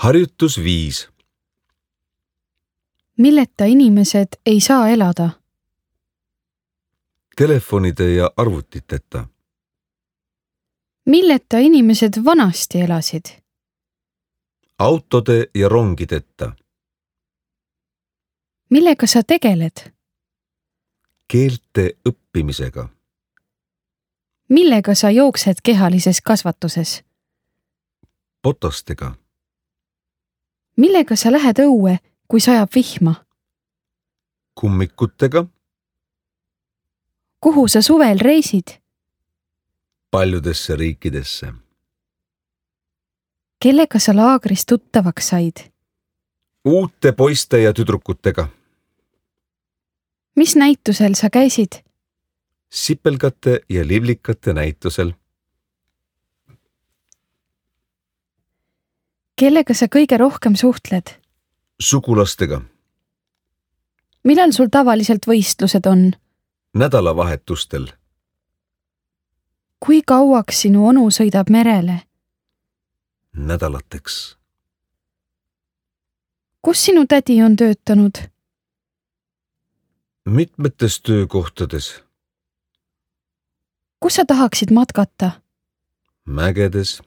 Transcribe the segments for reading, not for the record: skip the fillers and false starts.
Harjutus 5. Milleta inimesed ei saa elada? Telefonide ja arvutiteta. Milleta inimesed vanasti elasid? Autode ja rongideta. Millega sa tegeled? Keelte õppimisega. Millega sa jooksed kehalises kasvatuses? Potastega. Millega sa lähed õue, kui sajab vihma? Kummikutega. Kuhu sa suvel reisid? Paljudesse riikidesse. Kellega sa laagris tuttavaks said? Uute poiste ja tüdrukutega. Mis näitusel sa käisid? Sipelgate ja liblikate näitusel. Kellega sa kõige rohkem suhtled? Sugulastega. Millal sul tavaliselt võistlused on? Nädalavahetustel. Kui kauaks sinu onu sõidab merele? Nädalateks. Kus sinu tädi on töötanud? Mitmetes töökohtades. Kus sa tahaksid matkata? Mägedes,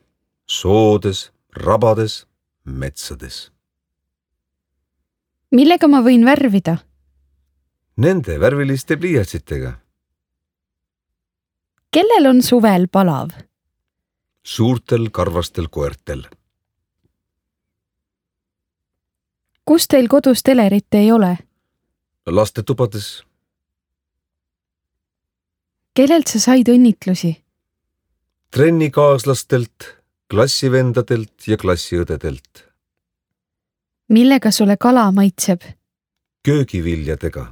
soodes, rabades, metsades. Millega ma võin värvida? Nende värviliste pliiatsitega. Kellel on suvel palav? Suurtel karvastel koertel. Kus teil kodus telerit ei ole? Lastetubades. Kellelt sa said õnnitlusi? Trennikaaslastelt, klassivendadelt ja klassiõdedelt. Millega sulle kala maitseb? Köögiviljadega.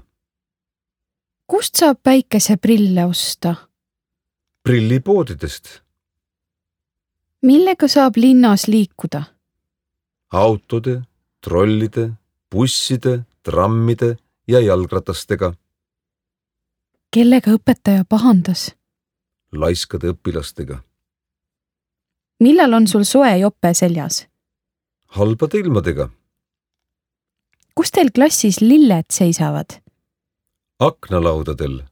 Kust saab päikeseprille osta? Prillipoodidest. Millega saab linnas liikuda? Autode, trollide, busside, trammide ja jalgratastega. Kellega õpetaja pahandas? Laiskade õpilastega. Millal on sul soe jope seljas? Halbade ilmadega. Kus teil klassis lilled seisavad? Aknalaudadel.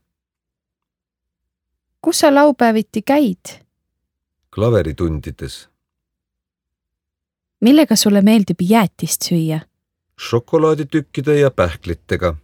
Kus sa laupäeviti käid? Klaveritundides. Millega sulle meeldib jäätist süüa? Šokolaaditükkide ja pähklitega.